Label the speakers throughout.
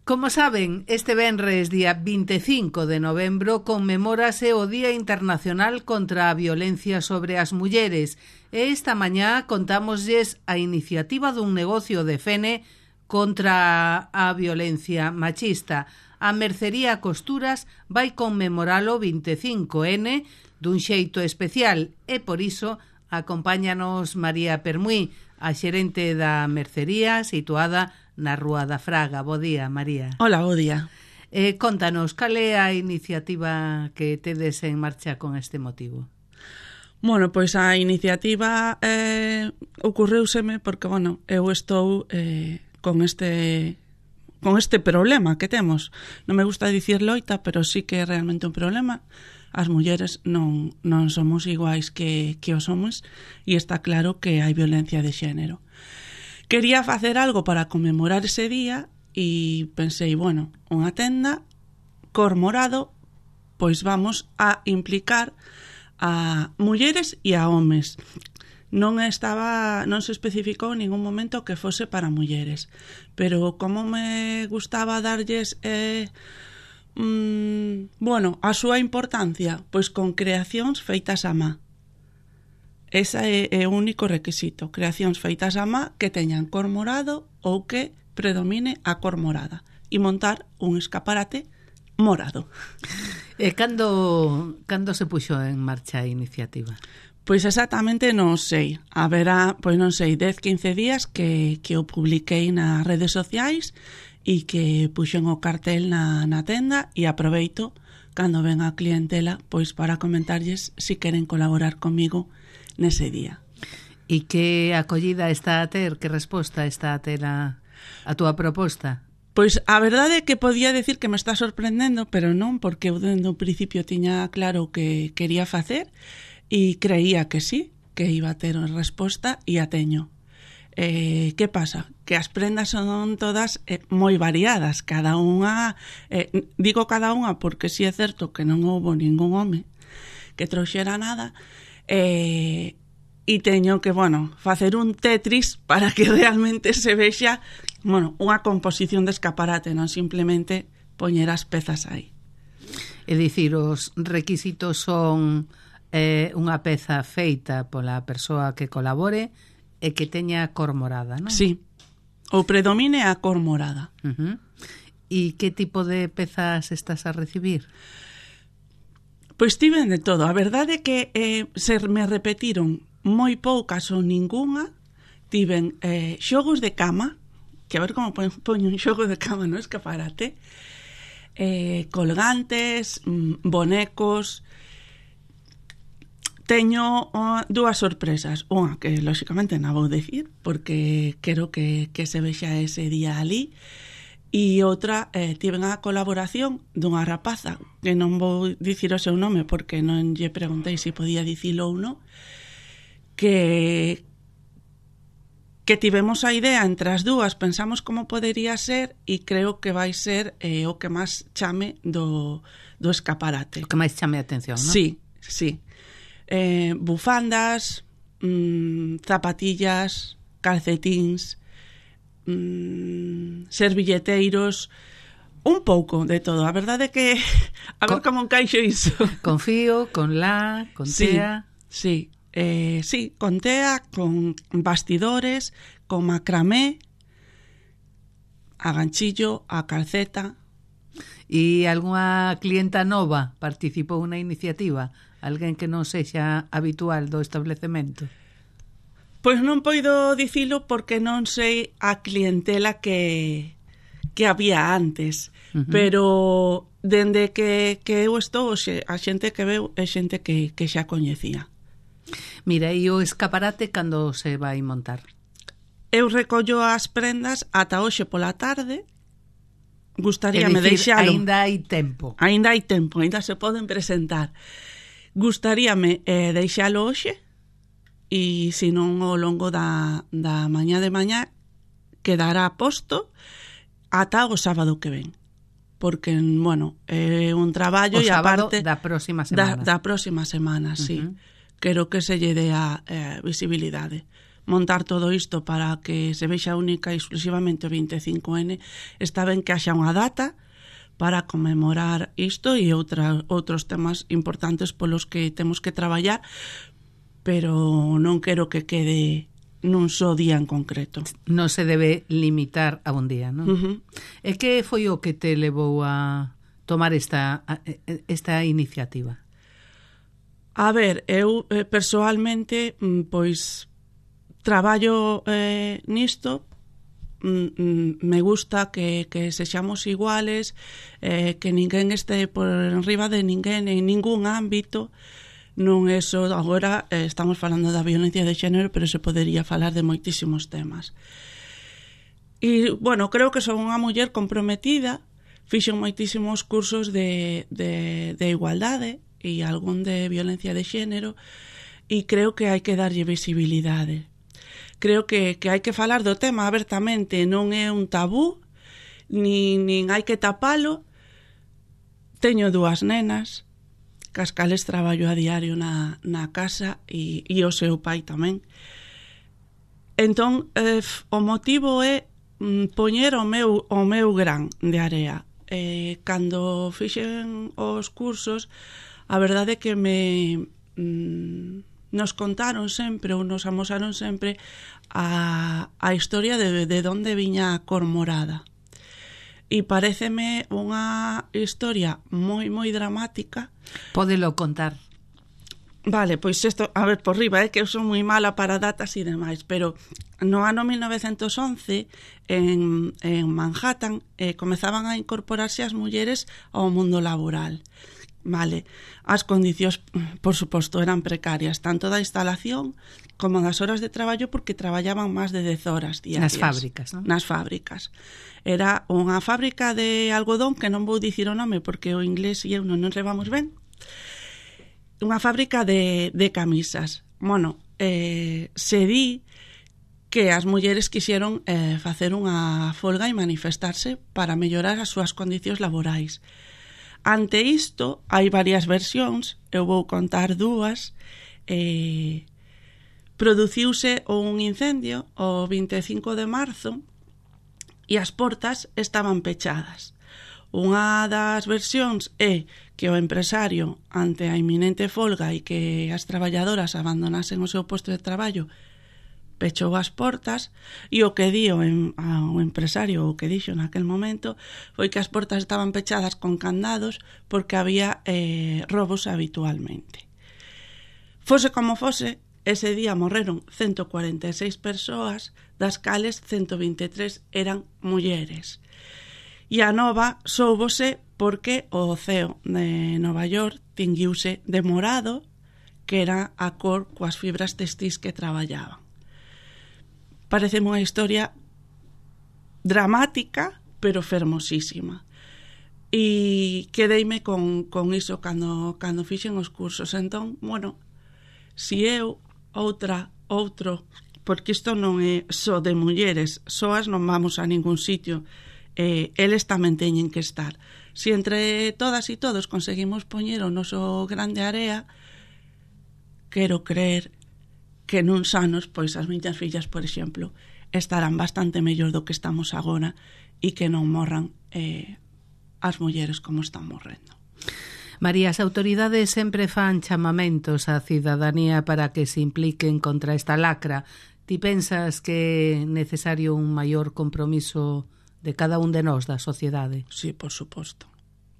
Speaker 1: Como saben, este venres, día 25 de novembro, conmemórase o Día Internacional contra a Violencia sobre as Mulleres e esta mañá contámoslles a iniciativa dun negocio de Fene contra a violencia machista. A Mercería Costuras vai conmemoralo 25N dun xeito especial e por iso acompáñanos María Permuí, a xerente da mercería situada na Rúa da Fraga. Bo día, María.
Speaker 2: Hola, bo día.
Speaker 1: Contanos, cal é a iniciativa que tedes en marcha con este motivo?
Speaker 2: Bueno, pois a iniciativa ocorreuseme porque, eu estou con este problema que temos. Non me gusta dicir loita, pero sí que é realmente un problema. As mulleres non somos iguais que os homens e está claro que hai violencia de xénero. Quería facer algo para conmemorar ese día e pensei, unha tenda cor morado, pois vamos a implicar a mulleres e a homes. Non se especificou en ningún momento que fose para mulleres, pero como me gustaba darlles a súa importancia, pois con creacións feitas a má. Esa é o único requisito, creacións feitas a má que teñan cor morado ou que predomine a cor morada e montar un escaparate morado.
Speaker 1: E cando se puxo en marcha a iniciativa?
Speaker 2: Pois exactamente non sei. Haberá, 10-15 días que o publiquei nas redes sociais e que puxen o cartel na tenda e aproveito cando ven a clientela pois para comentarlles se queren colaborar comigo nese día.
Speaker 1: E que acollida está a ter, que resposta está a ter a túa proposta?
Speaker 2: Pois a verdade é que podía decir que me está sorprendendo, pero non, porque eu dende o principio tiña claro o que quería facer e creía que sí, que iba a ter resposta e a teño. Que pasa? Que as prendas son todas moi variadas, cada unha, digo cada unha porque si é certo que non houbo ningún home que trouxera nada, e teño que, facer un Tetris para que realmente se vexa, unha composición de escaparate, non simplemente poñer as pezas aí.
Speaker 1: É dicir, os requisitos son unha peza feita pola persoa que colabore e que teña cor morada, non?
Speaker 2: Sí, ou predomine a cor morada.
Speaker 1: E que tipo de pezas estás a recibir?
Speaker 2: Pois tiven de todo. A verdade é que se me repetiron moi poucas ou ningunha. Tiven xogos de cama, que a ver como poño un xogo de cama no escaparate, colgantes, bonecos. Teño dúas sorpresas. Unha que, lóxicamente, non vou dicir, porque quero que se vexa ese día ali. E outra, tiven a colaboración dunha rapaza, que non vou dicir o seu nome porque non lle preguntei se podía dicilo ou non, que tivemos a idea entre as dúas, pensamos como podería ser e creo que vai ser o que máis chame do escaparate.
Speaker 1: O que máis chame a atención, non?
Speaker 2: Sí. Bufandas, zapatillas, calcetíns, servilleteiros, un pouco de todo. A verdade é que a ver como encaixo iso.
Speaker 1: Con fío, con la, con tea.
Speaker 2: Sí, con tea, con bastidores, con macramé, a ganchillo, a calceta.
Speaker 1: E algunha clienta nova participou na iniciativa? Alguén que non sexa habitual do establecemento?
Speaker 2: Pois non poido dicilo porque non sei a clientela que había antes, pero dende que eu estou, a xente que veu é xente que xa coñecía.
Speaker 1: Mira, e o escaparate cando se vai montar?
Speaker 2: Eu recollo as prendas ata hoxe pola tarde. Gustaríame deixalo.
Speaker 1: Aínda hai tempo.
Speaker 2: Aínda se poden presentar. Gustaríame deixalo hoxe, e se non ao longo da mañá de mañá quedará posto ata o sábado que ven, porque, é un traballo e aparte
Speaker 1: da próxima semana.
Speaker 2: Da próxima semana, sí. Quero que se lle dea visibilidade, montar todo isto para que se vexa única e exclusivamente o 25N, está ben que haxa unha data para conmemorar isto e outros temas importantes polos que temos que traballar, pero non quero que quede nun só día en concreto.
Speaker 1: Non se debe limitar a un día, non? E que foi o que te levou a tomar esta iniciativa?
Speaker 2: A ver, eu persoalmente, pois, traballo nisto, me gusta que sexamos iguales, que ninguén este por enriba de ninguén en ningún ámbito. Non é só, agora estamos falando da violencia de xénero, pero se podería falar de moitísimos temas. E, bueno, creo que son unha muller comprometida, fixen moitísimos cursos de igualdade e algún de violencia de xénero, e creo que hai que darlle visibilidade. Creo que hai que falar do tema abertamente, non é un tabú, nin hai que tapalo. Teño 2 nenas, cas cales traballo a diario na casa e o seu pai tamén. Entón, o motivo é poñer o meu gran de area. Cando fixen os cursos, a verdade é que nos contaron sempre ou nos amosaron sempre a historia de onde viña a cor morada. E paréceme unha historia moi, moi dramática.
Speaker 1: Pódelo contar.
Speaker 2: Vale, pois isto, a ver, por riba, que eu son moi mala para datas e demais, pero no ano 1911, en Manhattan, comezaban a incorporarse as mulleres ao mundo laboral. Vale, as condicións, por suposto, eran precarias, tanto da instalación como das horas de traballo, porque traballaban máis de 10 horas diarias.
Speaker 1: Nas fábricas, non?
Speaker 2: Nas fábricas. Era unha fábrica de algodón, que non vou dicir o nome porque o inglés e eu non nos levamos ben. Unha fábrica de camisas. Bueno, se di que as mulleres quixeron facer unha folga e manifestarse para mellorar as súas condicións laborais. Ante isto, hai varias versións, eu vou contar 2. Produciuse un incendio o 25 de marzo e as portas estaban pechadas. Unha das versións é que o empresario, ante a inminente folga e que as traballadoras abandonasen o seu posto de traballo, pechou as portas, e o que di o empresario, o que dixo naquel momento, foi que as portas estaban pechadas con candados porque había robos habitualmente. Fose como fose, ese día morreron 146 persoas, das cales 123 eran mulleres. E a nova soubose porque o CEO de Nova York tinguiuse de morado, que era a cor coas fibras textís que traballaban. Parece unha historia dramática, pero fermosísima. E quedeime con iso cando fixen os cursos. Entón, bueno, si eu, outro, porque isto non é só de mulleres, soas non vamos a ningún sitio, eles tamén teñen que estar. Si entre todas e todos conseguimos poñer o noso grande area, quero creer que nuns anos, pois as miñas fillas, por exemplo, estarán bastante mellor do que estamos agora e que non morran as mulleres como están morrendo.
Speaker 1: María, as autoridades sempre fan chamamentos á cidadanía para que se impliquen contra esta lacra. Ti pensas que é necesario un maior compromiso de cada un de nós, da sociedade?
Speaker 2: Sí, por suposto.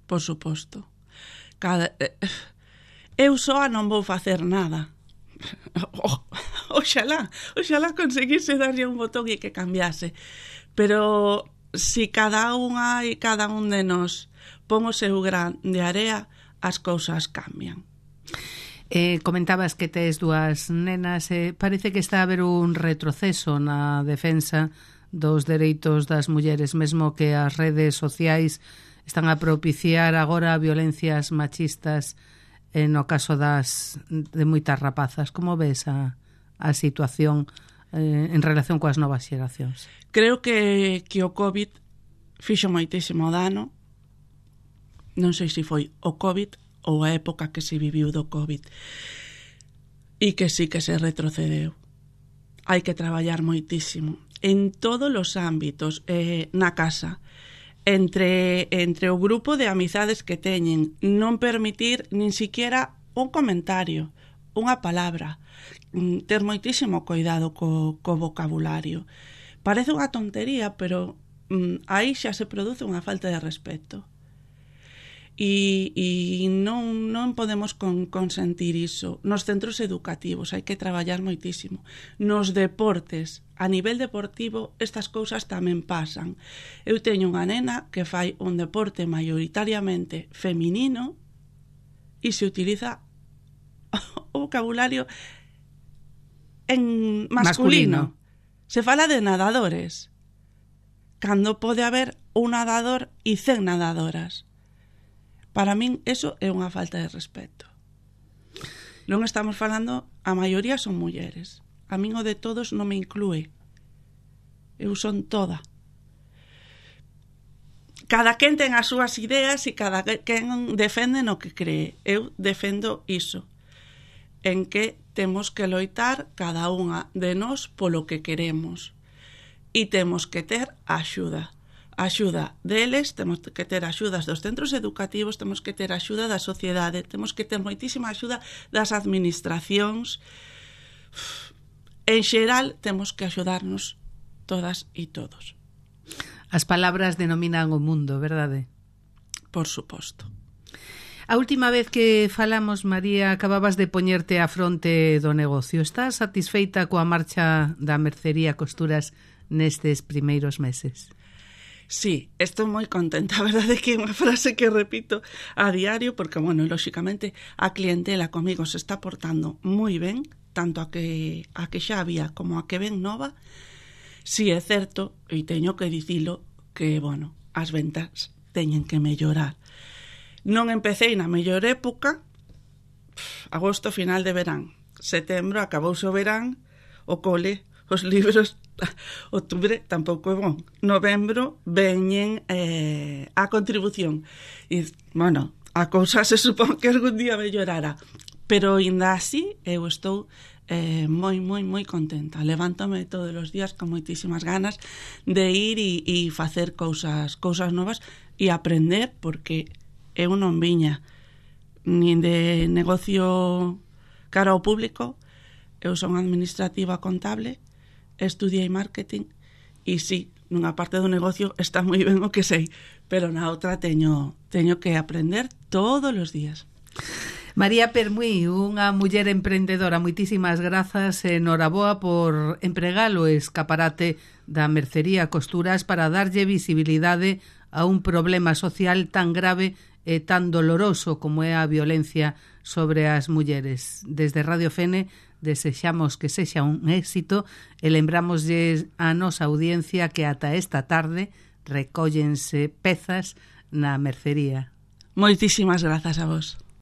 Speaker 2: Por suposto. Eu soa non vou facer nada. Oxalá conseguise darlle un botón e que cambiase. Pero si cada unha e cada un de nós pon o seu gran de area, as cousas cambian.
Speaker 1: Comentabas que tes 2 nenas, parece que está a haber un retroceso na defensa dos dereitos das mulleres, mesmo que as redes sociais están a propiciar agora violencias machistas no caso de moitas rapazas. Como ves a situación en relación coas novas xeracións?
Speaker 2: Creo que o COVID fixo moitísimo dano. Non sei se foi o COVID ou a época que se viviu do COVID, e que sí que se retrocedeu. hai que traballar moitísimo en todos os ámbitos, na casa, entre o grupo de amizades que teñen, non permitir nin siquiera un comentario, unha palabra, ter moitísimo cuidado co vocabulario. Parece unha tontería, pero aí xa se produce unha falta de respeto. E non podemos consentir iso. Nos centros educativos hai que traballar moitísimo. Nos deportes, a nivel deportivo, estas cousas tamén pasan. Eu teño unha nena que fai un deporte maioritariamente feminino e se utiliza o vocabulario en masculino. Se fala de nadadores, cando pode haber un nadador e 100 nadadoras. Para min, eso é unha falta de respeto. Non estamos falando, a maioría son mulleres. A min o de todos non me inclúe. Eu son toda. Cada quen ten as súas ideas e cada quen defende no que cree. Eu defendo iso. En que temos que loitar cada unha de nós polo que queremos. E temos que ter axuda. Axuda deles, temos que ter axudas dos centros educativos, temos que ter axuda da sociedade, temos que ter moitísima axuda das administracións. En xeral, temos que axudarnos todas e todos.
Speaker 1: As palabras denominan o mundo, verdade?
Speaker 2: Por suposto.
Speaker 1: A última vez que falamos, María, acababas de poñerte á fronte do negocio. Estás satisfeita coa marcha da mercería Costuras nestes primeiros meses?
Speaker 2: Sí, estou moi contenta. A verdade é que é unha frase que repito a diario porque, bueno, lóxicamente a clientela comigo se está portando moi ben, tanto a que xa había como a que ven nova. Sí, é certo, e teño que dicilo, que, bueno, as ventas teñen que mellorar. Non empecé na mellor época, agosto, final de verán. Setembro, acabouse o verán, o cole, os libros. Outubro tampouco é bon. Novembro veñen a contribución. E, bueno, a cousa se supón que algún día mellorará. Pero, ainda así, eu estou moi, moi, moi contenta. Levántome todos os días con moitísimas ganas de ir e facer cousas novas e aprender, porque eu non viña nin de negocio cara ao público. Eu son administrativa contable, estudiei marketing e sí, nunha parte do negocio está moi ben o que sei, pero na outra teño que aprender todos os días.
Speaker 1: María Permuí, unha muller emprendedora, moitísimas grazas e noraboa por empregar o escaparate da mercería Costuras para darlle visibilidade a un problema social tan grave e tan doloroso como é a violencia sobre as mulleres. Desde Radio Fene desexamos que sexa un éxito e lembramoslle a nosa audiencia que ata esta tarde recóllense pezas na mercería.
Speaker 2: Moitísimas grazas a vos.